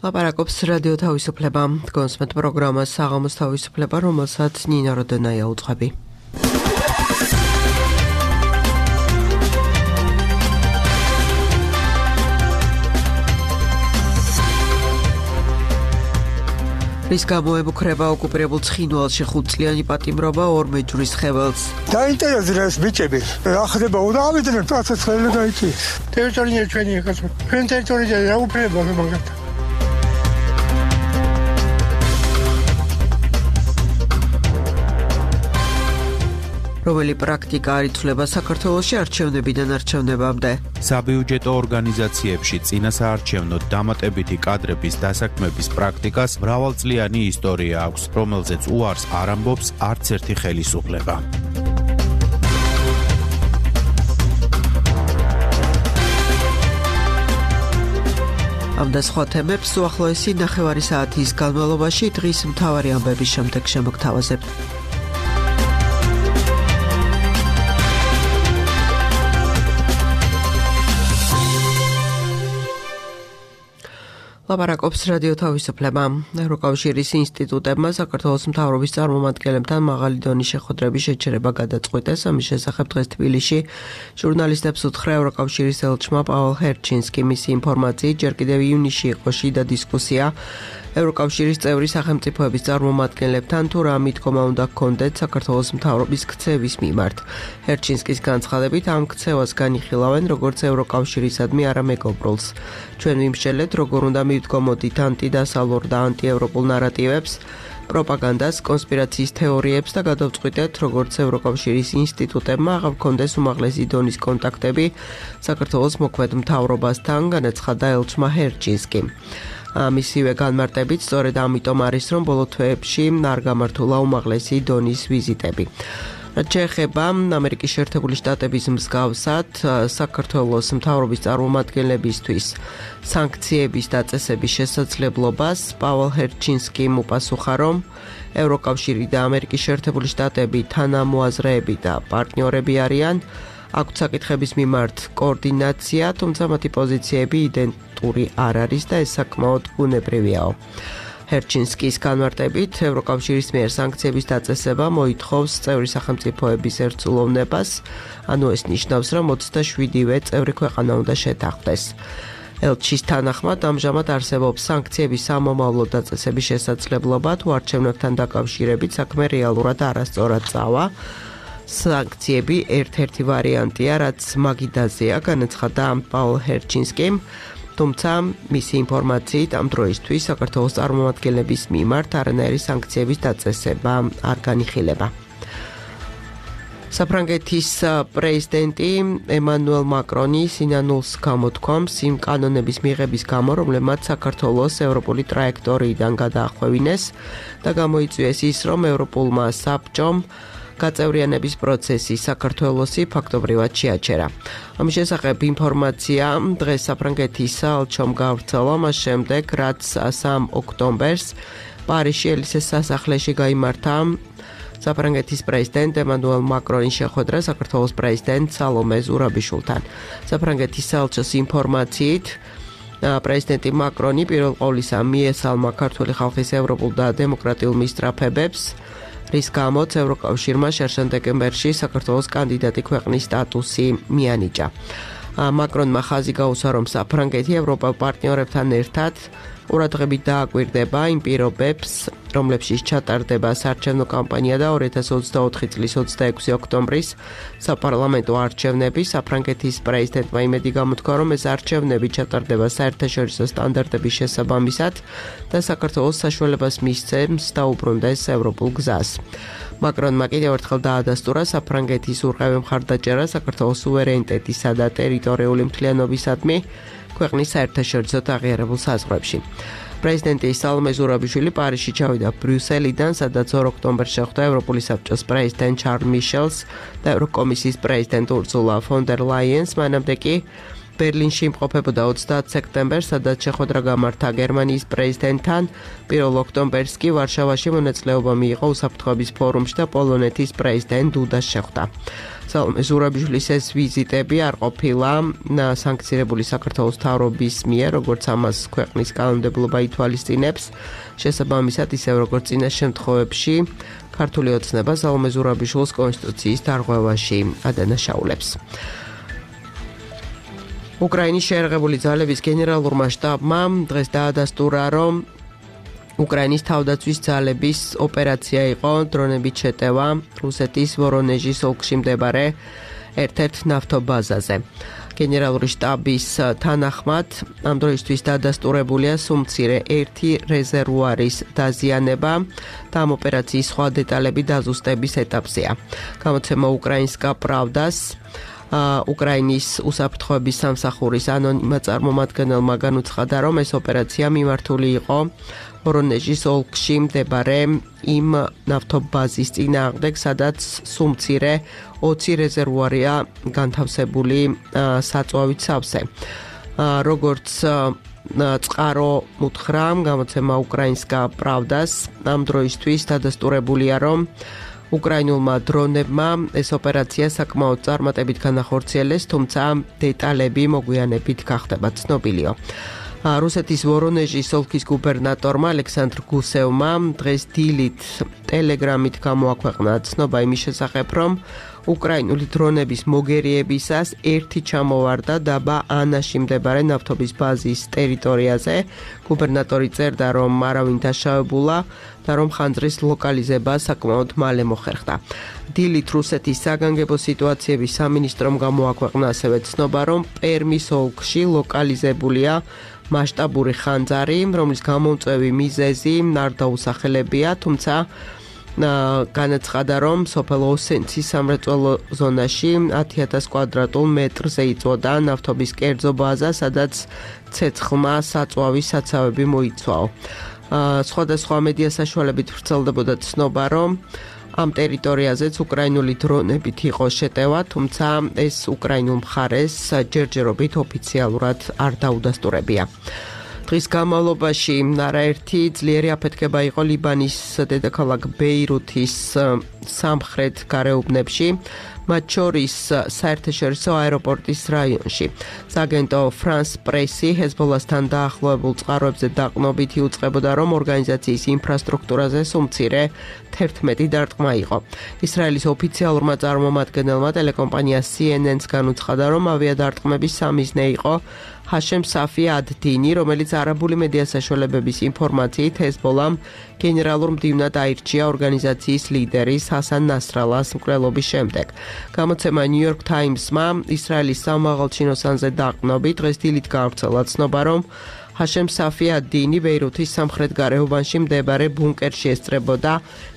ლაპარაკობს რადიო თავისუფლება. გონსმეთ პროგრამას საღამოს თავისუფლება, რომელსაც ნინა როდენაია უძღვები. რის გამო ემუქრება ოკუპირებულ ცხინვალში 5 წლიანი პატიმრობა 2 მეჯვრის ხეველს. დაინტერესდა ეს ბიჭები. რა ხდება? უნდა ავიდნენ პროცესს ხელა გაიწიეს. ტერიტორია ჩვენი ეხლა. ჩვენ ტერიტორიაზე რა უფლება მაგათ. რომელი პრაქტიკა არ იცვლება საქართველოში არჩევნებიდან არჩევნებამდე. საბიუჯეტო ორგანიზაციებში წინასაარჩევნო დამატებითი კადრების დასაქმების პრაქტიკას მრავალწლიანი ისტორია აქვს, რომელზეც უარს არ ამბობს არც ერთი ხელისუფლება. ამ და სხვა თემებს უახლოესი ნახევარი საათის განმავლობაში დღის მთავარი ამბების შემდეგ შემოგთავაზებთ. ლაპარაკობს რადიო თავისუფლება. ევროკავშირის ინსტიტუტებმა საქართველოს მთავრობის წარმომადგენლებთან მაღალი დონის შეხვედრების შეჩერება გადაწყვიტეს. ამის შესახებ დღეს თბილისში ჟურნალისტებს უთხრა ევროკავშირის ელჩმა პაულ ჰერჩინსკი. მისი ინფორმაციით ჯერ კიდევ ივნისში იყო შიდა დისკუსია ევროკავშირის წევრი სახელმწიფოების წარმომადგენლებთან თუ რა მიდგომა უნდა ჰქონდეთ საქართველოს მთავრობის ქცევის მიმართ. ჰერჩინსკის განცხადებით ამ ქცევას განიხილავენ როგორც ევროკავშირისადმი არამეგობრულს. ჩვენ ვიმსჯელეთ როგორ უნდა მივდგომოდით ანტიდასალურ და ანტიევროპულ ნარატივებს, პროპაგანდას, კონსპირაციის თეორიებს და გადავწყვიტეთ როგორც ევროკავშირის ინსტიტუტებმა აღარ ჰქონდეს უმაღლესი დონის კონტაქტები საქართველოს მოქმედ მთავრობასთან, განაცხადა ელჩმა ჰერჩინსკი. მისივე განმარტებით სწორედ ამიტომ არის რომ ბოლო თვეებში არ გამართულა უმაღლესი დონის ვიზიტები. რაც შეეხება ამერიკის შეერთებული შტატების მსგავსად საქართველოს მთავრობის წარმომადგენლებისთვის სანქციების დაწესების შესაძლებლობას პაულ ჰერჩინსკიმ უპასუხა რომ ევროკავშირი და ამერიკის შეერთებული შტატები თანამოაზრეები და პარტნიორები არიან. აქვთ საკითხების მიმართ კოორდინაცია, თუმცა მათი პოზიციები იდენტური არ არის და ეს საკმაოდ ბუნებრივიაო. ჰერჩინსკის განმარტებით ევროკავშირის მიერ სანქციების დაწესება მოითხოვს წევრი სახელმწიფოების ერთსულოვნებას, ანუ ეს ნიშნავს, რომ 27-ვე წევრი ქვეყანა უნდა შეთანხმდეს. ელჩის თანახმად ამჟამად არსებობს სანქციების სამომავლო დაწესების შესაძლებლობა თუ არჩევნებთან დაკავშირებით საქმე რეალურად არასწორად წავა. სანქციები ერთ-ერთი ვარიანტია, რაც მაგიდაზეა, განაცხადა პაულ ჰერჩინსკიმ, თუმცა მისი ინფორმაციით ამ დროისთვის საქართველოს წარმომადგენლების მიმართ არანაირი სანქციების დაწესება არ განიხილება. საფრანგეთის პრეზიდენტი ემანუელ მაკრონი სინანულს გამოთქვამს იმ კანონების მიღების გამო, რომლებმაც საქართველოს ევროპული ტრაექტორიიდან გადაახვევინეს და გამოიწვიეს ის, რომ ევროპულმა საბჭომ გაწევრიანების პროცესი საქართველოსი ფაქტობრივად შეაჩერა. ამის შესახებ ინფორმაცია დღეს საფრანგეთის საელჩომ გავრცელა მას შემდეგ, რაც 3 ოქტომბერს პარიზში ელისეს სასახლეში გაიმართა საფრანგეთის პრეზიდენტ ემანუელ მაკრონის შეხვედრა საქართველოს პრეზიდენტ სალომე ზურაბიშვილთან. საფრანგეთის საელჩოს ინფორმაციით პრეზიდენტი მაკრონი პირველ ყოვლისა მიესალმა ქართული ხალხის ევროპულ და დემოკრატიულ მისწრაფებებს, რის გამოც ევროკავშირმა შერშან დეკემბერში საქართველოს კანდიდატი ქვეყნის სტატუსი მიანიჭა. მაკრონმა ხაზი გაუსვა, რომ საფრანგეთი ევროპელ პარტნიორებთან ერთად ყურადღებით დააკვირდება იმ პირობებს, რომლებშიც ჩატარდება საარჩევნო კამპანია და 2024 წლის 26 ოქტომბრის საპარლამენტო არჩევნები. საფრანგეთის პრეზიდენტმა იმედი გამოთქვა, რომ ეს არჩევნები ჩატარდება საერთაშორისო სტანდარტების შესაბამისად და საქართველოს საშუალებას მისცემს დაუბრუნდეს ევროპულ გზას. მაკრონმა კიდევ ერთხელ დაადასტურა საფრანგეთის ურყევი მხარდაჭერა საქართველოს სუვერენიტეტისა და ტერიტორიული მთლიანობისადმი ქვეყნის საერთაშორისო აღიარებულ საზღვრებში. პრეზიდენტი სალომე ზურაბიშვილი პარიზში ჩავიდა ბრიუსელიდან, სადაც 2 ოქტომბერს შეხვდა ევროპული საბჭოს პრეზიდენტ შარლ მიშელს და ევროკომისიის პრეზიდენტ ურსულა ფონ დერ ლაიენს. მანამდე კი ბერლინში იმყოფებოდა 30 სექტემბერს, სადაც შეხვედრა გამართა გერმანიის პრეზიდენტთან. 1 ოქტომბერს კი ვარშავაში მონაწილეობა მიიღო უსაფრთხოების ფორუმში და პოლონეთის პრეზიდენტ დუდას შეხვდა. სალომე ზურაბიშვილის ეს ვიზიტები არ ყოფილა სანქცირებული საქართველოს მთავრობის მიერ, როგორც ამას ქვეყნის კანონმდებლობა ითვალისწინებს. შესაბამისად, ისევ როგორც წინა შემთხვევებში, ქართული ოცნება სალომე ზურაბიშვილის კონსტიტუციის დარღვევაში ადანაშაულებს. უკრაინის შეერაღებული ძალების გენერალურმა შტაბმა დღეს დაადასტურა, რომ უკრაინის თავდაცვის ძალების ოპერაცია იყო დრონებით შეტევა რუსეთის ვორონეჟის ოლქში მდებარე ერთ-ერთ ნავთობაზაზე. გენერალური შტაბის თანახმად ამ დროისთვის დადასტურებულია სუმცირე 1 რეზერვუარის დაზიანება და ამ ოპერაციის სხვა დეტალები დაზუსტების ეტაპზეა. გამოცემა უკრაინსკა პრავდას უკრაინის უსაფრთხოების სამსახურის ანონიმა წარმომადგენელმა განუცხადა, რომ ეს ოპერაცია მიმართული იყო ვორონეჟის ოლქში მდებარე იმ ნავთობაზის წინააღმდეგ, სადაც სუმცირე 20 რეზერვუარია განთავსებული საწვავით სავსე. როგორც წყარო უთხრა გამოცემა უკრაინსკა პრავდას, ამ დროისთვის დადასტურებულია, რომ უკრაინულმა დრონებმა ეს ოპერაცია საკმაოდ წარმატებით განახორციელეს, თუმცა დეტალები მოგვიანებით გახდება ცნობილიო. რუსეთის ვორონეჟის ოლქის გუბერნატორმა ალექსანდრ გუსევმა დღეს დილით ტელეგრამით გამოაქვეყნა ცნობა იმის შესახებ, რომ უკრაინული დრონების მოგერიებისას ერთი ჩამოვარდა დაბა ანაში მდებარე ნავთობის ბაზის ტერიტორიაზე. გუბერნატორი წერდა, რომ არავინ დაშავებულა და რომ ხანძრის ლოკალიზება საკმაოდ მალე მოხერხდა. დილით რუსეთის საგანგებო სიტუაციების სამინისტრომ გამოაქვეყნა ასევე ცნობა, რომ პერმის ოლქში ლოკალიზებულია მასშტაბური ხანძარი, რომლის გამომწვევი მიზეზი არ დაუსახელებია, თუმცა განაცხადა, რომ სოფელ ოსენცის სამრეწველო ზონაში 10,000 კვადრატულ მეტრზე იწვოდა ნავთობის კერძო ბაზა, სადაც ცეცხლმა საწვავის საცავები მოიცვაო. სხვადასხვა მედია საშუალებით ვრცელდებოდა ცნობა, რომ ამ ტერიტორიაზეც უკრაინული დრონებით იყო შეტევა, თუმცა ეს უკრაინულ მხარეს ჯერჯერობით ოფიციალურად არ დაუდასტურებია. დღის განმავლობაში არაერთი ძლიერი აფეთქება იყო ლიბანის დედაქალაქ ბეირუთის სამხრეთ გარეუბნებში, მათ შორის საერთაშორისო აეროპორტის რაიონში. სააგენტო France Press-ი ჰეზბოლასთან დაახლოებულ წყაროებზე დაყრდნობით იუწყებოდა, რომ ორგანიზაციის ინფრასტრუქტურაზე სუმცირე 11 დარტყმა იყო. ისრაელის ოფიციალურმა წარმომადგენელმა ტელეკომპანია CNN-ს განუცხადა, რომ ავიადარტყმების სამიზნე იყო ჰაშემ საფი ad-Dini, რომელიც არაბული მედია საშუალებების ინფორმაციით ჰეზბოლამ გენერალურ მდივნად აირჩია ორგანიზაციის ლიდერის ჰასან ნასრალას მკვლელობის შემდეგ. გამოცემა New York Times-მა ისრაელის სამაღალჩინოსანზე დაყრდნობით დღეს დილით გავრცელა ცნობა, რომ ჰაშემ საფი ad-Dini ბეირუთის სამხრეთ გარეუბანში მდებარე ბუნკერში ესწრებოდა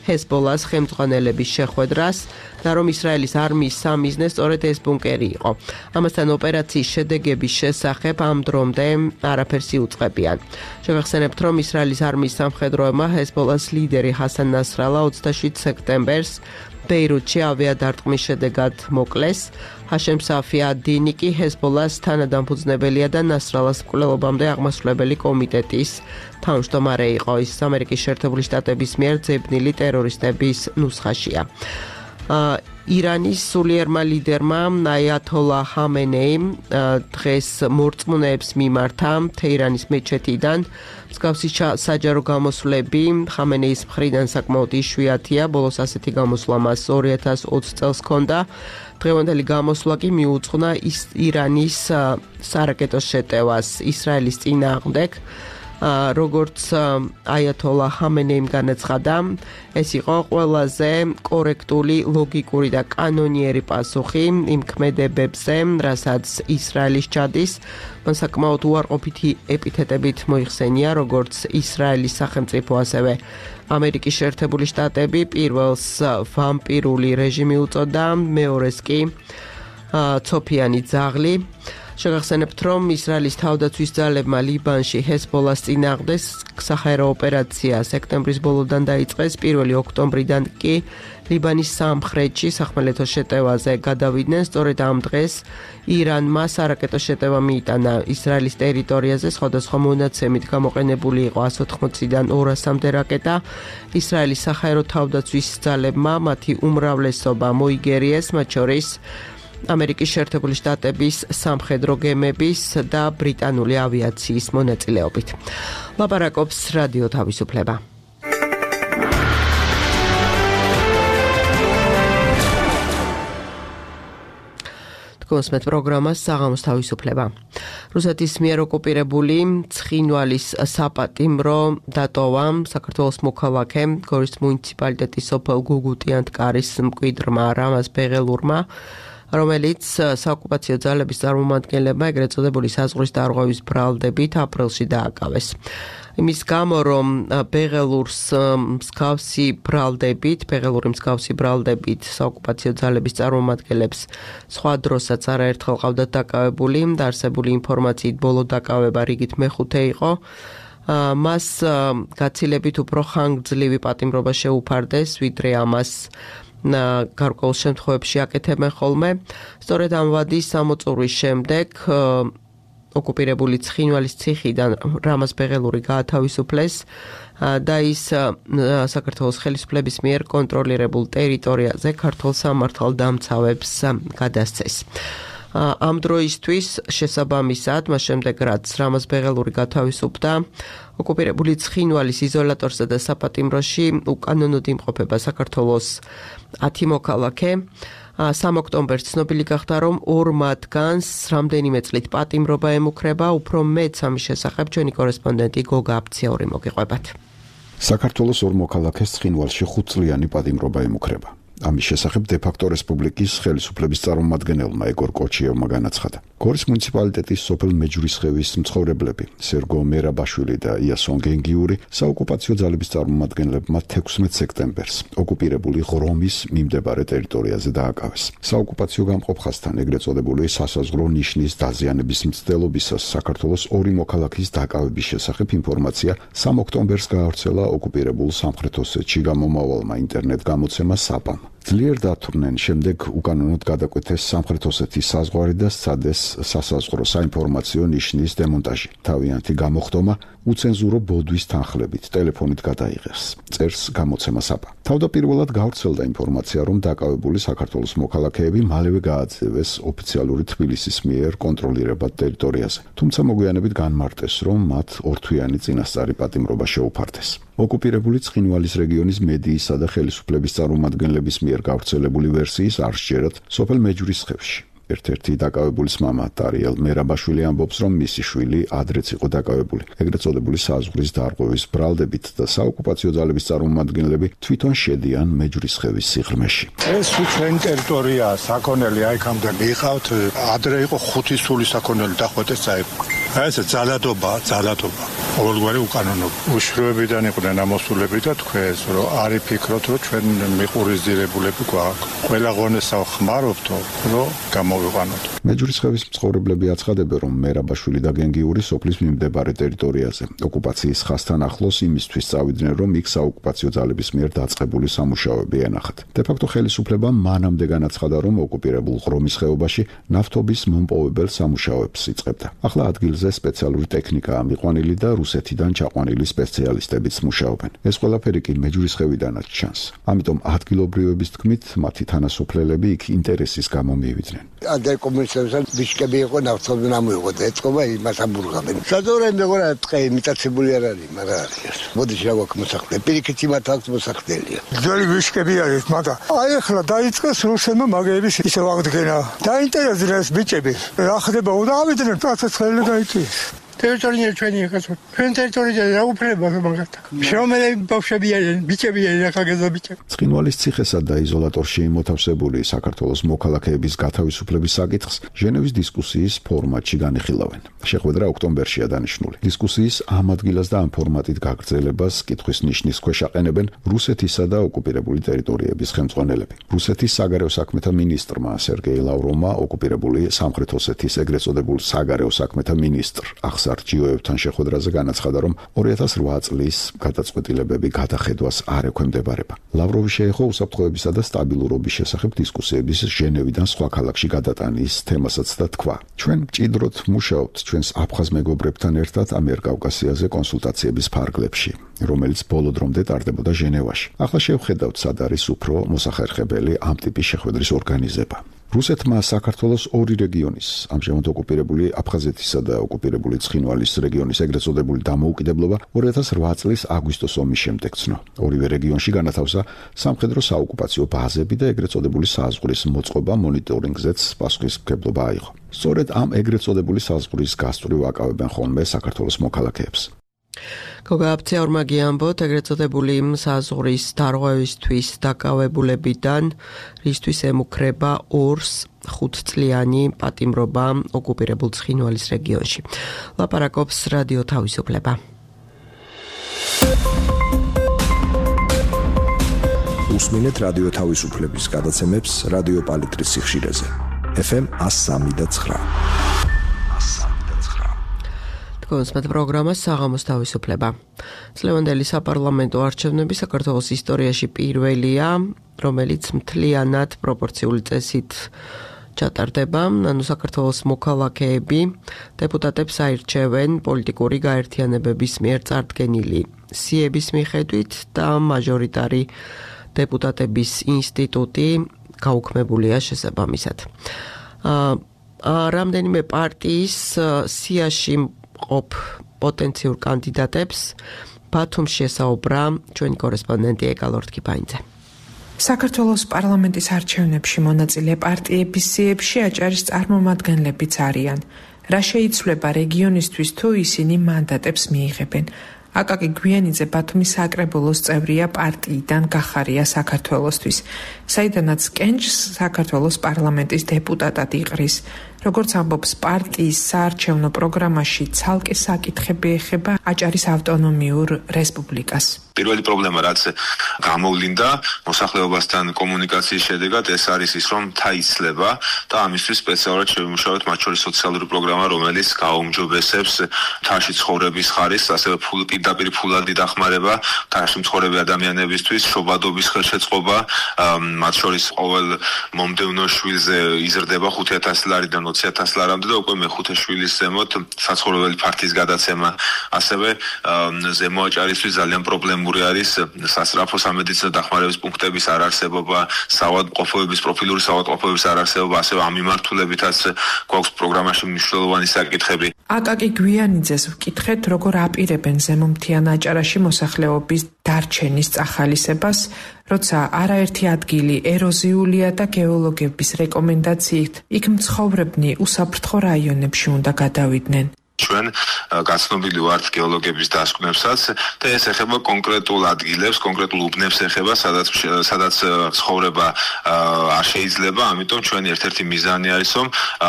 ჰეზბოლას ხელმძღვანელების შეხვედრას და რომ ისრაელის არმიის სამიზნე სწორედ ეს ბუნკერი იყო. ამასთან ოპერაციის შედეგების შესახებ ამ დრომდე არაფერს იუწყებიან. შევახსენებთ, რომ ისრაელის არმიის სამხედროებმა ჰეზბოლას ლიდერი ჰასან ნასრალა 27 სექტემბერს ბეირუთში ავიადარტყმის შედეგად მოკლეს. ჰაშემ საფი ad-Dini კი ჰეზბოლას თანადამფუძნებელია და ნასრალას მკვლელობამდე აღმასრულებელი კომიტეტის თავმჯდომარე იყო. ის ამერიკის შეერთებული შტატების მიერ ძებნილი ტერორისტების ნუსხაშია. ირანის სულიერმა ლიდერმა აიათოლა ხამენეიმ დღეს მორწმუნეებს მიმართა თეირანის მეჩეთიდან. მსგავსი საჯარო გამოსვლები ხამენეის მხრიდან საკმაოდ იშვიათია, ბოლოს ასეთი გამოსვლა მას 2020 წელს ჰქონდა. დღევანდელი გამოსვლა კი მიუძღვნა ირანის სარაკეტო შეტევას ისრაელის წინააღმდეგ. როგორც აიათოლა ხამენეიმ განაცხადა, ეს იყო ყველაზე კორექტული, ლოგიკური და კანონიერი პასუხი იმ ქმედებებზე, რასაც ისრაელის ჩადის. მან საკმაოდ უარყოფითი ეპითეტებით მოიხსენია, როგორც ისრაელის სახელმწიფო, ასევე ამერიკის შეერთებული შტატები. პირველს ვამპირული რეჟიმი უწოდა, მეორეს კი ცოფიანი ძაღლი. შეგახსენებთ, რომ ისრაელის თავდაცვის ძალებმა ლიბანში ჰეზბოლას წინააღმდეგ საჰაერო ოპერაცია სექტემბრის ბოლოდან დაიწყეს, 1 ოქტომბრიდან კი ლიბანის სამხრეთში სახმელეთო შეტევაზე გადავიდნენ. სწორედ ამ დღეს ირანმა სარაკეტო შეტევა მიიტანა ისრაელის ტერიტორიაზე, სხვადასხვა მონაცემით გამოყენებული იყო 180-დან 200-მდე რაკეტა. ისრაელის საჰაერო თავდაცვის ძალებმა მათი უმრავლესობა მოიგერიეს, მათ შორის ამერიკის შეერთებული შტატების სამხედრო გემების და ბრიტანული ავიაციის მონაწილეობით. ლაპარაკობს რადიო თავისუფლება. კონსმეთ პროგრამას საღამოს თავისუფლება. რუსეთის მიერ ოკუპირებული ცხინვალის საპატიმრო დატოვა საქართველოს მოქალაქე გორის მუნიციპალიტეტის სოფელ გუგუტიანთკარის მკვიდრმა რამაზ ბეღელურმა, რომელიც საოკუპაციო ძალების წარმომადგენლებმა ეგრეთ წოდებული საზღვრის დარღვევის ბრალდებით აპრილში დააკავეს. იმის გამო, რომ ბეღელურის მსგავსი ბრალდებით საოკუპაციო ძალების წარმომადგენლებს სხვა დროსაც არაერთხელ ყავდათ დაკავებული, დაარსებული ინფორმაციით ბოლო დაკავება რიგით მეხუთე იყო. მას გაცილებით უფრო ხანგრძლივი პატიმრობა შეუფარდეს, ვიდრე ამას გარკვეულ შემთხვევებში აკეთებენ ხოლმე. სწორედ ამ ვადის სამოწურვის შემდეგ ოკუპირებული ცხინვალის ციხიდან რამაზ ბეღელური გაათავისუფლეს და ის საქართველოს ხელისუფლების მიერ კონტროლირებულ ტერიტორიაზე ქართულ სამართალდამცავებს გადასცეს. ამ დროისთვის შესაბამისად, მას შემდეგ რაც რამაზ ბეღელური გათავისუფლდა, ოკუპირებული ცხინვალის იზოლატორსა და საპატიმროში უკანონოდ იმყოფება საქართველოს 10 მოქალაქე. 3 ოქტომბერს ცნობილი გახდა, რომ 2 მათგანს რამდენიმე წლით პატიმრობა ემუქრება. უფრო მეც ამის შესახებ ჩვენი კორესპონდენტი გოგა აფციური მოგიყვებათ. საქართველოს 2 მოქალაქეს ცხინვალში 5 წლიანი პატიმრობა ემუქრება. ამის შესახებ დე-ფაქტო რესპუბლიკის ხელისუფლების წარმომადგენელმა ეგორ კოჩიევმა განაცხადა. გორის მუნიციპალიტეტის სოფელ მეჯვრისხევის მცხოვრებლები სერგო მერაბაშვილი და იასონ გენგიური საოკუპაციო ძალების წარმომადგენლებმა 16 სექტემბერს ოკუპირებული ღრომის მიმდებარე ტერიტორიაზე დააკავეს. საოკუპაციო გამყოფხასთან ეგრეთ წოდებული სასაზღვრო ნიშნის დაზიანების მცდელობისას საქართველოს 2 მოქალაქის დაკავების შესახებ ინფორმაცია 3 ოქტომბერს გაავრცელა ოკუპირებულ სამხრეთ ოსეთში გამომავალმა ინტერნეტ გამოცემა საპამ. ძლიერ დათვრნენ, შემდეგ უკანონოდ გადაკვეთეს სამხრეთ ოსეთის საზღვარი და სცადეს სასაზღვრო საინფორმაციო ნიშნის დემონტაჟი. თავიანთი გამოხდომა უცენზურო ბოდვის თანხლებით ტელეფონით გადაიღეს, წერს გამოცემა საპა. თავდაპირველად გავრცელდა ინფორმაცია, რომ დაკავებული საქართველოს მოქალაქეები მალევე გააძევეს ოფიციალური თბილისის მიერ კონტროლირებად ტერიტორიაზე. თუმცა მოგვიანებით განმარტეს, რომ მათ ორთვიანი წინასწარი პატიმრობა შეუფარდეს. ოკუპირებული ცხინვალის რეგიონის მედიისა და ხელისუფლების წარმომადგენლების მიერ გავრცელებული ვერსიის არ სჯერათ სოფელ მეჯვრისხევში. ერთ-ერთი დაკავებულის მამა ტარიელ მერაბაშვილი ამბობს, რომ მისი შვილი ადრეც იყო დაკავებული ეგრეთ წოდებული საზღვრის დარღვევის ბრალდებით და საოკუპაციო ძალების წარმომადგენლები თვითონ შედიან მეჯვრისხევის სიღრმეში. ეს ჩვენი ტერიტორიაა, საქონელი აიქამდე მიყავთ, ადრე იყო 5 სული საქონელი დახვეწეს წაიღო. ეს ძალადობა. ყოველგვარი უკანონობა. უშროებიდან იყვნენ ამოსულები და თქვენს, რომ არი ფიქრობთ, რომ ჩვენ მიყურიზირებულები გვაქვს. ყველა ღონესა ხმარობთო, რომ გამოვიყვანოთ. მეჯვრისხევის მცხოვრებლები აცხადებენ, რომ მერაბაშვილი და გენგიური სოფლის მიმდებარე ტერიტორიაზე ოკუპაციის ხაზთან ახლოს იმისთვის წავიდნენ, რომ იქ საოკუპაციო ძალების მიერ დაწყებული სამუშაოები ენახათ. დე-ფაქტო ხელისუფლება მანამდე განაცხადა, რომ ოკუპირებულ ღრომის ხეობაში ნავთობის მომპოვებელ სამუშაოებს იწყებდა. ახლა ადგილზე სპეციალური ტექნიკაა მიყვანილი და რუსეთიდან ჩაყვანილი სპეციალისტებიც მუშაობენ. ეს ყველაფერი კი მეჯვრისხევიდანაც ჩანს. ამიტომ ადგილობრივების თქმით, მათი თანასოფლელები იქ ინტერესის გამო მივიდნენ. Αντέ კომისართან ბიშკები იყო ნავთობი ნამოიღო და ეწყობა იმას ამბურგავენ. საზორენ მეგონა ტყე მიტაცებული არ არის, მაგრამ არის. მოდი შევაქვს მოსახლე. პირიქით იმათ აქვს მოსახლეელია. ძველი ბიშკები არის, მაგრამ აი ახლა დაიწყეს რუსებმა მაგების ისევ აღდგენა. დაინტერესდნენ ეს ბიჭები. რა ხდება უნდა ავიდნენ პროცესი გაიწეს. ტერიტორია ჩვენი ახაც. ჩვენ ტერიტორიაზე რა უფლება მაგათ. შრომელები ბავშვები არიან, ბიჭები არიან, ახალგაზრდა ბიჭები. ცხინვალის ციხესა და იზოლატორში მოთავსებული საქართველოს მოქალაქეების გათავისუფლების საკითხს ჟენევის დისკუსიის ფორმატში განიხილავენ. შეხვედრა ოქტომბერშია დანიშნული. დისკუსიის ამ ადგილას და ამ ფორმატით გაგრძელებას კითხვის ნიშნის ქვეშ აყენებენ რუსეთისა და ოკუპირებული ტერიტორიების ხელმძღვანელები. რუსეთის საგარეო საქმეთა მინისტრმა სერგეი ლავროვმა ოკუპირებული სამხრეთ ოსეთის ეგრეთ წოდებულ საგარეო საქმეთა მინისტრ ახსარ ჯიოევთან შეხვედრაზე განაცხადა, რომ 2008 წლის გადაწყვეტილებები გადახედვას არ ექვემდებარება. ლავროვი შეეხო უსაფრთხოებისა და სტაბილურობის შესახებ დისკუსიების ჟენევიდან სხვა ქალაქში გადატანის თემასაც და თქვა: ჩვენ მჭიდროდ მუშაობთ ჩვენს აფხაზ მეგობრებთან ერთად ამიერკავკასიაზე კონსულტაციების ფარგლებში, რომელიც ბოლო დრომდე ტარდებოდა ჟენევაში. ახლა შევხედავთ, სად არის უფრო მოსახერხებელი ამ ტიპის შეხვედრის ორგანიზება. რუსეთმა საქართველოს ორი რეგიონის, ამჟამად ოკუპირებული აფხაზეთისა და ოკუპირებული ცხინვალის რეგიონის ეგრეთ წოდებული დამოუკიდებლობა 2008 წლის აგვისტოს ომის შემდეგ ცნო. ორივე რეგიონში განათავსა სამხედრო საოკუპაციო ბაზები და ეგრეთ წოდებული საზღვრის მოწყობა მონიტორინგზეც პასუხისმგებლობა აიღო. სწორედ ამ ეგრეთ წოდებული საზღვრის გასწვრივ აკავებენ ხოლმე საქართველოს მოქალაქეებს. გოგააფცია ორმაგი ამბობთ, ეგრეთ წოდებული საზღვრის დარღვევისთვის დაკავებულებიდან რისთვის ემუქრება 2-5 წლიანი პატიმრობა ოკუპირებულ ცხინვალის რეგიონში. ლაპარაკობს რადიო თავისუფლება. უსმინეთ რადიო თავისუფლების გადაცემებს რადიო პალიტრის სიხშირეზე. FM 103.9. კონსმეთ პროგრამა საღამოს თავისუფლება. წლევანდელი საპარლამენტო არჩევნები საქართველოს ისტორიაში პირველია, რომელიც მთლიანად პროპორციული წესით ჩატარდება, ანუ საქართველოს მოქალაქეები დეპუტატებს აირჩევენ პოლიტიკური გაერთიანებების მიერ წარდგენილი სიების მიხედვით და მაჟორიტარი დეპუტატების ინსტიტუტი გაუქმებულია შესაბამისად. რამდენიმე პარტიის სიაში ყოფ პოტენციურ კანდიდატებს ბათუმში ესაუბრა ჩვენი კორესპონდენტი ეკალორთკიფაინძე. საქართველოს პარლამენტის არჩევნებში მონაწილე პარტიების სიებში აჭარის წარმომადგენლებიც არიან. რა შეიცვლება რეგიონისთვის თუ ისინი მანდატებს მიიღებენ? აკაკი გვიანიძე ბათუმის საკრებულოს წევრია პარტიიდან გახარია საქართველოსთვის, საიდანაც კენჭს საქართველოს პარლამენტის დეპუტატად იყრის. როგორც ამბობს პარტიის საარჩევნო პროგრამაში, ცალკე საკითხები ეხება აჭარის ავტონომიურ რესპუბლიკას. პირველი პრობლემა, რაც გამოვლინდა მოსახლეობასთან კომუნიკაციის შედეგად, ეს არის ის, რომ მთა იცლება და ამისთვის სპეციალურად შევიმუშავეთ მათ შორის სოციალური პროგრამა, რომელიც გააუმჯობესებს მთაში ცხოვრების ხარისხს, ასევე პირდაპირ ფულადი დახმარება მთაში მცხოვრები ადამიანებისთვის, შობადობის ხელშეწყობა, მათ შორის ყოველ მომდევნო შვილზე იზრდება 5,000 ლარიდან 20,000 ლარამდე და უკვე მეხუთე შვილის ზემოთ საცხოვრებელი ფართის გადაცემა. ასევე ზემო აჭარისთვის ძალიან პრობლემური არის სასწრაფო სამედიცინო დახმარების პუნქტების არარსებობა, საავადმყოფოების პროფილური საავადმყოფოების არარსებობა, ასევე ამ მიმართულებითაც გვაქვს პროგრამაში მნიშვნელოვანი საკითხები. აკაკი გვიანიძეს ვკითხეთ, როგორ აპირებენ ზემომთიან აჭარაში მოსახლეობის დარჩენის წახალისებას, როცა არაერთი ადგილი ეროზიულია და გეოლოგების რეკომენდაციით იქ მცხოვრებნი უსაფრთხო რაიონებში უნდა გადავიდნენ. ჩვენ გაცნობილი ვართ გეოლოგების დასკვნებსაც და ეს ეხება კონკრეტულ ადგილებს, კონკრეტულ უბნებს ეხება, სადაც ცხოვრება არ შეიძლება, ამიტომ ჩვენი ერთ-ერთი მიზანი არის, რომ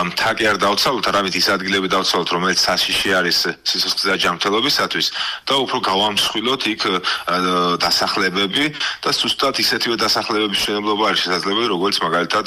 მთა კი არ დავცალოთ, არამედ ის ადგილები დავცალოთ, რომელიც საშიში არის სიცოცხლის და ჯანმრთელობისათვის და უფრო გავამსხვილოთ იქ დასახლებები და ზუსტად ისეთივე დასახლებების მშენებლობა არის შესაძლებელი, როგორც მაგალითად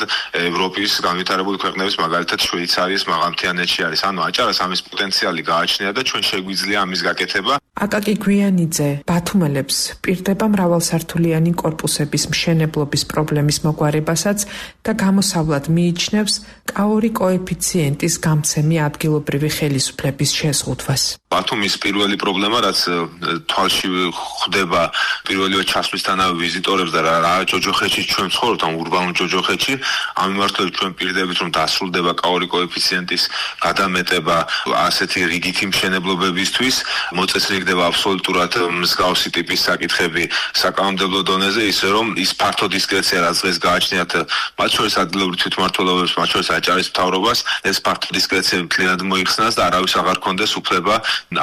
ევროპის განვითარებული ქვეყნების, მაგალითად შვეიცარიის მაღალმთიანეთში არის. ანუ აჭარას ამის პოტენციალი გააჩნია და ჩვენ შეგვიძლია ამის გაკეთება. აკაკი გვიანიძე ბათუმელებს პირდება მრავალსართულიანი კორპუსების მშენებლობის პრობლემის მოგვარებასაც და გამოსავლად მიიჩნევს კაორი კოეფიციენტის გამცემი ადგილობრივი ხელისუფლების შეზღუდვას. ბათუმის პირველი პრობლემა, რაც თვალში ხვდება პირველივე ჩასვლისთანავე ვიზიტორებს და რა ჯოჯოხეთში ჩვენ ვცხოვრობთ, ამ ურბანულ ჯოჯოხეთში, ამ მიმართულებით ჩვენ პირდებით რომ დასრულდება კაორი კოეფიციენტის გადამეტება ასეთი რიგითი მშენებლობებისთვის, მოწესრიგდება აბსოლუტურად მსგავსი ტიპის საკითხები საკანონმდებლო დონეზე, ისე რომ ის ფართო დისკრეცია, რაც დღეს გააჩნიათ მათ შორის ადგილობრივ თვითმმართველობებს, მათ შორის აჭარის მთავრობას ეს ფაქტი დისკრეციები მთლიანად მოიხსნას და არავის აღარ ქონდეს უფლება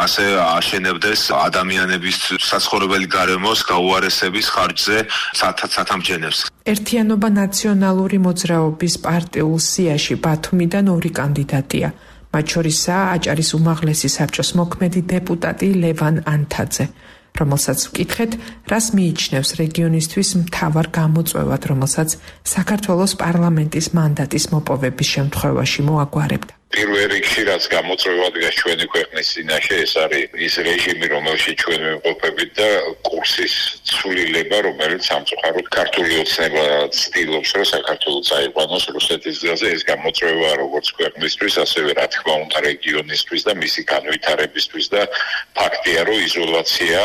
ასე აშენებდეს ადამიანების საცხოვრებელი გარემოს გაუარესების ხარჯზე სათამბჯენებს. ერთიანობა ნაციონალური მოძრაობის პარტიულ სიაში ბათუმიდან 2 კანდიდატია. მათ შორისაა აჭარის უმაღლესი საბჭოს მოქმედი დეპუტატი ლევან ანთაძე, რომელსაც ვკითხეთ, რას მიიჩნევს რეგიონისთვის მთავარ გამოწვევად, რომელსაც საქართველოს პარლამენტის მანდატის მოპოვების შემთხვევაში მოაგვარებდა. პირველ რიგში რაც გამოწვევადგას ჩვენი ქვეყნის წინაშე ეს არის ის რეჟიმი, რომელშიც ჩვენ ვიმყოფებით და კურსის ცვლილება, რომელიც სამწუხაროდ ქართული ოცნება ცდილობს, რომ საქართველო წაიყვანოს რუსეთის გზაზე. ეს გამოწვევა როგორც ქვეყნისთვის, ასევე რა თქმა უნდა რეგიონისთვის და მისი განვითარებისთვის და ფაქტია, რომ იზოლაცია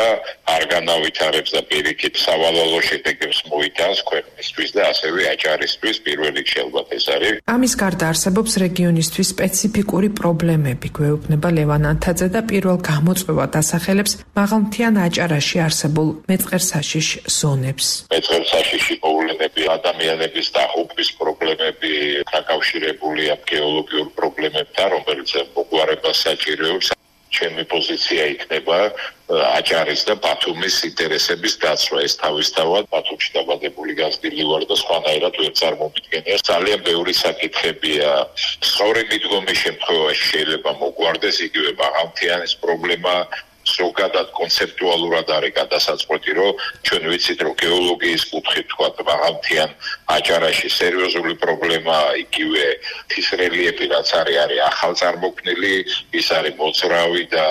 არ განავითარებს და პირიქით სავალალო შედეგებს მოიტანს ქვეყნისთვის და ასევე აჭარისთვის პირველ რიგში ალბათ ეს არის. ამის გარდა არსებობს რეგიონისთვის სპეციფიკური პრობლემები, გვეუბნება ლევან ანთაძე და პირველ გამოწვევად ასახელებს მაღალმთიან აჭარაში არსებულ მეწყერსაშიშ ზონებს. მეწყერსაშიში მოვლენები, ადამიანების დაღუპვის პრობლემები დაკავშირებულია გეოლოგიურ პრობლემებთან, რომელიც მოგვარებას საჭიროებს. ჩემი პოზიცია იქნება აჭარის და ბათუმის ინტერესების დაცვა. ეს თავისთავად ბათუმში დაბადებული გაზრდილი ვარ და სხვანაირად ვერ წარმომიდგენია. ძალიან ბევრი საკითხებია. სწორი მიდგომის შემთხვევაში შეიძლება მოგვარდეს იგივე მაღალმთიანის პრობლემა. ზოგადად კონცეპტუალურად არის გადასაწყვეტი, რომ ჩვენ ვიცით, რომ გეოლოგიის კუთხით თქვათ მაღალმთიან აჭარაში სერიოზული პრობლემა იგივე თის რელიეფი რაც არის ახალწარმოქმნილი, ის არის მოძრავი და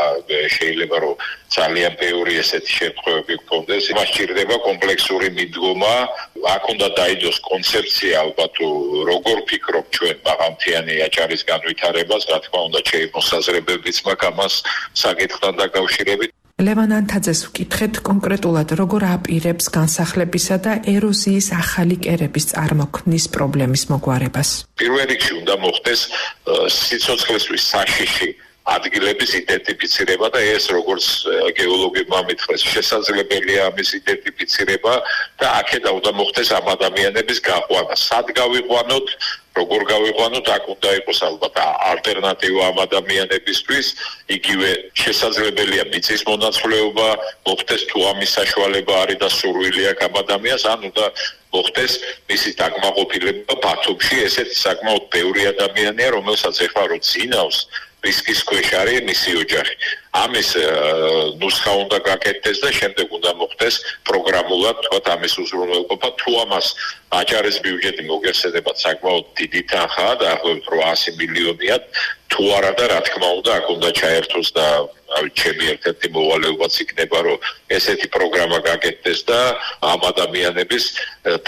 შეიძლება რომ ძალიან ბევრი ესეთი შემთხვევები გქონდეს. იმას სჭირდება კომპლექსური მიდგომა, აქ უნდა დაიდოს კონცეფცია ალბათ როგორ ფიქრობ ჩვენ მაღალმთიანი აჭარის განვითარებას, რა თქმა უნდა შემოსაზრებებიც მაქვს ამას საკითხთან დაკავშირებით. ლევან ანთაძეს ვკითხეთ კონკრეტულად როგორ აპირებს განსახლებისა და ეროზიის ახალი კერების წარმოქმნის პრობლემის მოგვარებას. პირველ რიგში უნდა მოხდეს სიცოცხლესთვის საშიში ადგილების იდენტიფიცირება და ეს როგორც გეოლოგებმა მითხრეს შესაძლებელია ამის იდენტიფიცირება და აქედან უნდა მოხდეს ამ ადამიანების გაყვანა. სად გავიყვანოთ, როგორ გავიყვანოთ, აქ უნდა იყოს ალბათ ალტერნატივა ამ ადამიანებისთვის, იგივე შესაძლებელია მიწის მონაცვლეობა, მოხდეს თუ ამის საშუალება არის და სურვილი აქვს ამ ადამიანს, ან უნდა მოხდეს მისი დაკმაყოფილება ბათუმში. ესეთი საკმაოდ ბევრი ადამიანია, რომელსაც ეხლა რო წინავს რისკის ქვეშ არის მისი ოჯახი. ამის ნუსხა უნდა გაკეთდეს და შემდეგ უნდა მოხდეს პროგრამულად თქვათ ამის უზრუნველყოფა. თუ ამას აჭარის ბიუჯეტი მოგეხსენებათ საკმაოდ დიდი თანხაა და ახლობით 800 მილიონია, თუ არა და რა თქმა უნდა აქ უნდა ჩაერთოს და ჩემი ერთ-ერთი მოვალეობაც იქნება, რომ ესეთი პროგრამა გაკეთდეს და ამ ადამიანების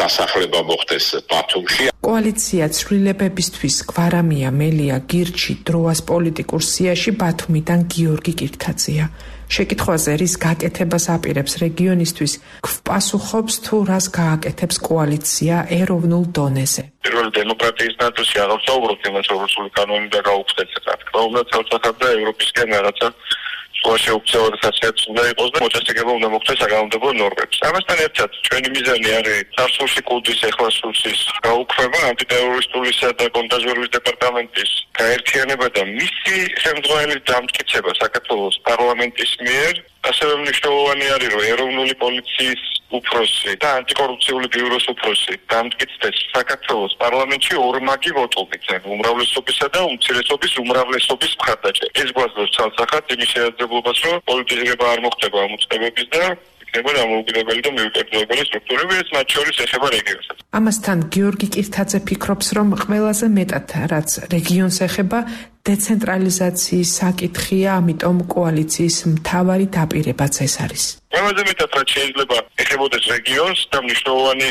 დასახლება მოხდეს ბათუმში. კოალიცია ცვლილებებისთვის გვარამია მელია გირჩი დროას პოლიტიკურ სიაში ბათუმიდან გიორგი კირთაძეა. შეკითხვაზე რის გაკეთებას აპირებს რეგიონისთვის, გვპასუხობს თუ რას გააკეთებს კოალიცია ეროვნულ დონეზე. პირველ დემოკრატიის ნაწილში აღარ საუბრობთ იმას, რომ რუსული კანონი და გაუხსნეს რა თქმა უნდა თავსახად და ევროპისკენ რაღაცა შეუქცევად ხასიათს უნდა იყოს და მოწესრიგება უნდა მოხდეს საკანონმდებლო ნორმებს. ამასთან ერთად ჩვენი მიზანი არის წარსულში კულტის ეხლა სულსის გაუქმება, ანტიტერორისტულისა და კონტრაბანდის დეპარტამენტის გაერთიანება და მისი შემდგომელი დამტკიცება საქართველოს პარლამენტის მიერ. ასევე მნიშვნელოვანი არის, რომ ეროვნული პოლიციის უფროსი და ანტიკორუფციული ბიუროს უფროსი დამტკიცდეს საქართველოს პარლამენტში ორმაგი ვოტობით, უმრავლესობისა და უმცირესობის უმრავლესობის მხარდაჭერა. ეს გვაძლევს ცალსახად იმის შესაძლებლობას, რომ პოლიტიზება არ მოხდება ამ უწყებების და იქნება დამოუკიდებელი და მიუკერძოებელი სტრუქტურები, ეს მათ შორის ეხება რეგიონსაც. ამასთან გიორგი კირთაძე ფიქრობს, რომ ყველაზე მეტად რაც რეგიონს ეხება დეცენტრალიზაციის საკითხია, ამიტომ კოალიციის მთავარი დაპირებაც ეს არის. ყველაზე მეტად რაც შეიძლება ეხებოდეს რეგიონს და მნიშვნელოვანი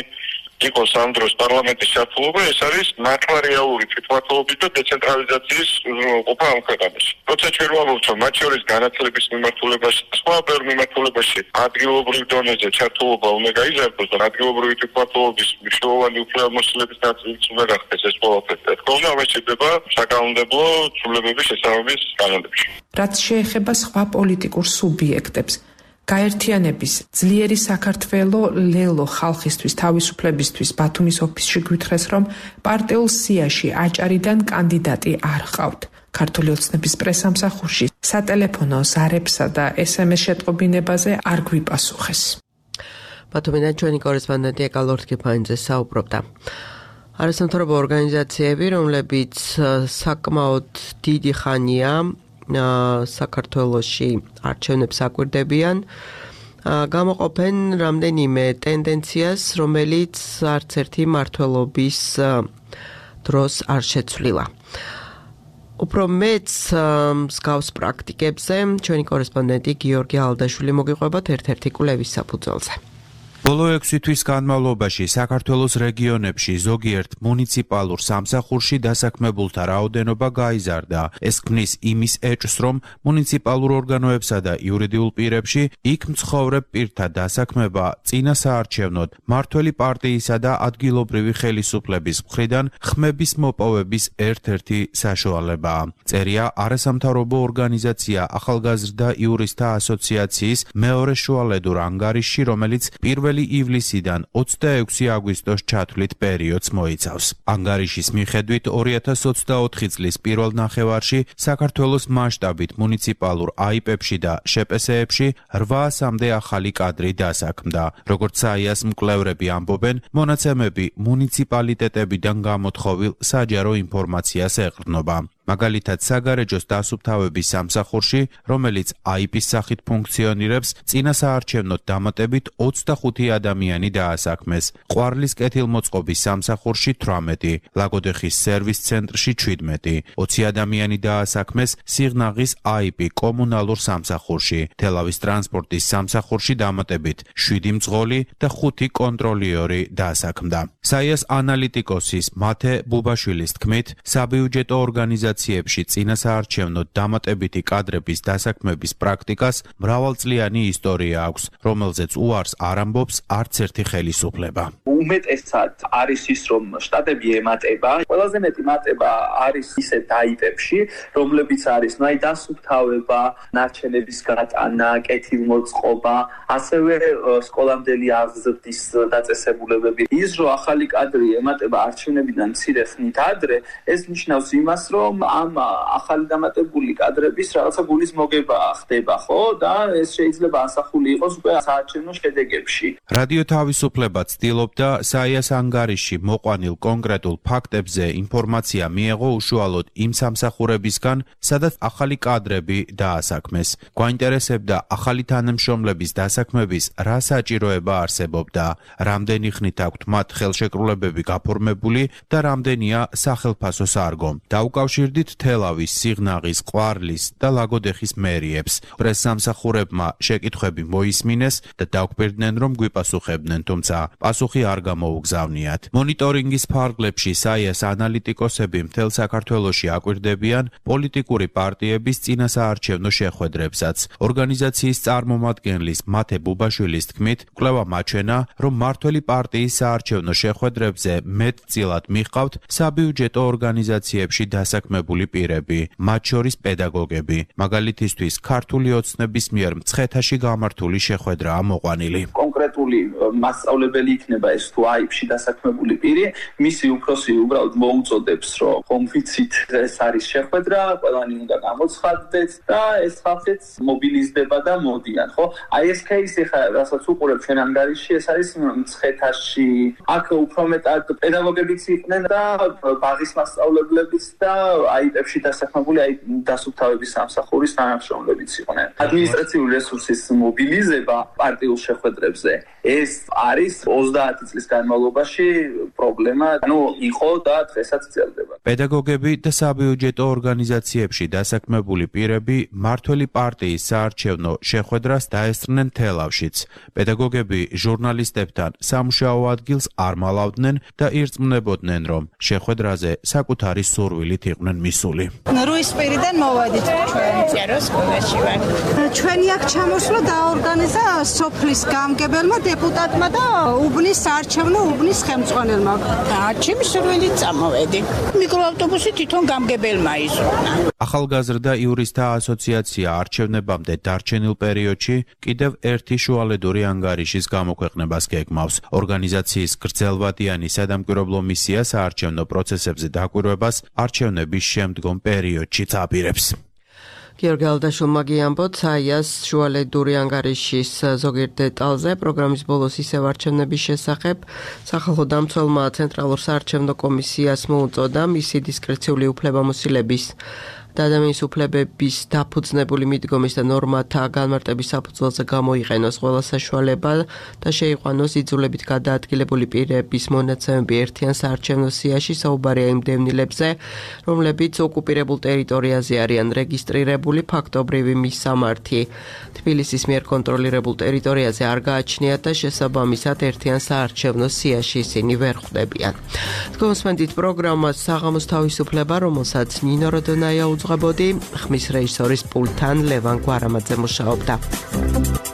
იყოს ამ დროს პარლამენტის ჩართულობა, ეს არის მართლარეალური თვითმმართველობის და დეცენტრალიზაციის უზრუნველყოფა ამ ქვეყანაში. როცა ჩვენ ვამბობთ, რომ მათ შორის განათლების მიმართულებაში, სხვა ბევრ მიმართულებაში ადგილობრივ დონეზე ჩართულობა უნდა გაიზარდოს და ადგილობრივი თვითმმართველობის მნიშვნელოვანი უფლებამოსილების ნაწილიც უნდა გახდეს ეს ყველაფერი. თქო, ამას შეიძლება საკანონმდებლო ცვლილებების შესაბამის კანონებში. რაც შეეხება სხვა პოლიტიკურ სუბიექტებს, გაერთიანების ძლიერი საქართველო ლელო ხალხისთვის თავისუფლებისთვის ბათუმის ოფისში გვითხრეს, რომ პარტიულ სიაში აჭარიდან კანდიდატი არ ჰყავთ. ქართული ოცნების პრესამსახურში სატელეფონო ზარებსა და SMS შეტყობინებაზე არ გვიპასუხეს. ბათუმიდან ჩვენი კორესპონდენტი ეკალორთქიფანიძე საუბრობდა. არასამთავრობო ორგანიზაციები, რომლებიც საკმაოდ დიდი ხანია საქართველოში არჩევნებს აკვირდებიან, გამოყოფენ რამდენიმე ტენდენციას, რომელიც არც ერთი მმართველობის დროს არ შეცვლილა. უფრო მეც მსგავს პრაქტიკებზე ჩვენი კორესპონდენტი გიორგი ალდაშვილი მოგიყვებათ ერთ-ერთი კვლევის საფუძველზე. ბოლო 6 თვის განმავლობაში საქართველოს რეგიონებში ზოგიერთ მუნიციპალურ სამსახურში დასაქმებულთა რაოდენობა გაიზარდა. ეს ქმნის იმის ეჭვს, რომ მუნიციპალურ ორგანოებსა და იურიდიულ პირებში იქ მცხოვრებ პირთა დასაქმება წინა საარჩევნოდ მმართველი პარტიისა და ადგილობრივი ხელისუფლების მხრიდან ხმების მოპოვების ერთ-ერთი საშუალებაა. წერია არასამთავრობო ორგანიზაცია ახალგაზრდა იურისტთა ასოციაციის მეორე შუალედურ ანგარიშში, რომელიც 1 ივლისიდან 26 აგვისტოს ჩათვლით პერიოდს მოიცავს. ანგარიშის მიხედვით 2024 წლის პირველ ნახევარში საქართველოს მასშტაბით მუნიციპალურ აიპებში და შპსეებში 800-მდე ახალი კადრი დასაქმდა. როგორც საიას მკვლევრები ამბობენ, მონაცემები მუნიციპალიტეტებიდან გამოთხოვილ საჯარო ინფორმაციას ეყრდნობა. მაგალითად, საგარეჯოს დასუფთავების სამსახურში, რომელიც აიპის სახით ფუნქციონირებს, წინა საარჩევნოდ დამატებით 25 ადამიანი დაასაქმეს. ყვარლის კეთილმოწყობის სამსახურში 18, ლაგოდეხის სერვის ცენტრში 17, 20 ადამიანი დაასაქმეს სიღნაღის აიპი კომუნალურ სამსახურში, თელავის ტრანსპორტის სამსახურში დამატებით 7 მძღოლი და 5 კონტროლიორი დაასაქმდა. საიას ანალიტიკოსის მათე ბუბაშვილის თქმით, საბიუჯეტო ორგანიზაციებში წინა საარჩევნოდ დამატებითი კადრების დასაქმების პრაქტიკას მრავალწლიანი ისტორია აქვს, რომელზეც უარს არ ამბობს არც ერთი ხელისუფლება. უმეტესად არის ის, რომ შტატები ემატება, ყველაზე მეტი მატება არის ისეთ აიპებში, რომლებიც არის დასუფთავება, ნარჩენების გატანა, კეთილმოწყობა, ასევე სკოლამდელი აღზრდის დაწესებულებები. ის, რომ ახალი კადრი ემატება არჩევნებიდან მცირე ხნით ადრე, ეს ნიშნავს იმას, რომ ამ ახალი დამატებული კადრების რაღაცა გულის მოგება ხდება, ხო? და ეს შეიძლება ასახული იყოს უკვე საარჩევნო შედეგებში. რადიო თავისუფლება ცდილობდა საიას ანგარიში მოყვანილ კონკრეტულ ფაქტებზე ინფორმაცია მიეღო უშუალოდ იმ სამსახურებისგან, სადაც ახალი კადრები დაასაქმეს. გვაინტერესებდა ახალი თანამშრომლების დასაქმების რა საჭიროება არსებობდა, რამდენი ხნით აქვთ მათ ხელშეკრულებები გაფორმებული და რამდენია სახელფასო სარგო. დაუკავშირდით თელავის, სიღნაღის, ყვარლის და ლაგოდეხის მერიებს. პრესსამსახურებმა შეკითხვები მოისმინეს და დაგვირდნენ, რომ გვიპასუხებდნენ, თუმცა პასუხი არ გამოუგზავნიათ. მონიტორინგის ფარგლებში საიას ანალიტიკოსები მთელ საქართველოში აკვირდებიან პოლიტიკური პარტიების წინასაარჩევნო შეხვედრებსაც. ორგანიზაციის წარმომადგენლის მათე ბუბაშვილის თქმით, კვლევა მაჩვენა, რომ მმართველი პარტიის საარჩევნო შეხვედრებზე მეტწილად მიჰყავთ საბიუჯეტო ორგანიზაციებში დასაქმებული პირები, მათ შორის პედაგოგები. მაგალითისთვის, ქართული ოცნების მიერ მცხეთაში გამართული შეხვედრაა მოყვანილი. კონკრეტული მასწავლებელი იქნება ეს თუ აიპში დასაქმებული პირი, მისი უფროსი უბრალოდ მოუწოდებს, რომ ხომ ვიცით, ეს არის შეხვედრა, ყველანი უნდა გამოცხადდეთ და ეს ხალხიც მობილიზდება და მოდიან, ხო? აი ეს кейსი ხა, რასაც უყურებ ჩვენ ანგარიში, ეს არის მცხეთაში. აქ უფრო მეტად პედაგოგებიც იყვნენ და ბაღის მასწავლებლებიც და აიპებში დასაქმებული დასუფთავების სამსახურის თანამშრომლებიც იყვნენ. ადმინისტრაციული რესურსის მობილიზება პარტიულ შეხვედრებზე ეს არის 30 წლის განმავლობაში პრობლემა, იყო და დღესაც ძლდება. პედაგოგები და საბიუჯეტო ორგანიზაციებში დასაქმებული პირები მმართველი პარტიის საარჩევნო შეხვედრას დაესწრნენ თელავშიც. პედაგოგები ჟურნალისტებთან სამუშაო ადგილს არ მალავდნენ და ირწმუნებოდნენ, რომ შეხვედრაზე საკუთარი სურვილით იყვნენ მისული. რუისპირიდან მოვედით ჩვენ წეროს სკოლაში ვარ. ჩვენი აქ ჩამოსვლა დაორგანიზა სოფლის გამგებელმა დეპუტატმა და უბნის საარჩევნო უბნის ხელმძღვანელმა. ჩემი სურვილით წამოვედი. მიკროავტობუსი თვითონ გამგებელმა ისრონა. ახალგაზრდა იურისტთა ასოციაცია არჩევნებამდე დარჩენილ პერიოდში კიდევ ერთი შუალედური ანგარიშის გამოქვეყნებას გეგმავს. ორგანიზაციის გრძელვადიანი სადამკვირვებლო მისია საარჩევნო პროცესებზე დაკვირვებას არჩევნების შემდგომ პერიოდშიც აპირებს. გიორგი ალდაშულმა გიამბოთ საიას შუალედური ანგარიშის ზოგიერთ დეტალზე პროგრამის ბოლოს ისევ არჩევნების შესახებ სახალხო დამცველმა ცენტრალურ საარჩევნო კომისიას მოუწოდა მისი დისკრეციული უფლებამოსილების და ადამიანის უფლებების დაფუძნებული მიდგომის და ნორმათა განმარტების საფუძველზე გამოიყენოს ყველა საშუალება და შეიყვანოს იძულებით გადაადგილებული პირების მონაცემები ერთიან საარჩევნო სიაში. საუბარია იმ დევნილებზე, რომლებიც ოკუპირებულ ტერიტორიაზე არიან რეგისტრირებული, ფაქტობრივი მისამართი თბილისის მიერ კონტროლირებულ ტერიტორიაზე არ გააჩნიათ და შესაბამისად ერთიან საარჩევნო სიაში ისინი ვერ ხვდებიან. თქვენსმენდით პროგრამას საღამოს თავისუფლება, რომელსაც ნინო როდონაია უძღვებოდი, ხმის რეჟისორის პულტთან ლევან გვარამაძე მუშაობდა.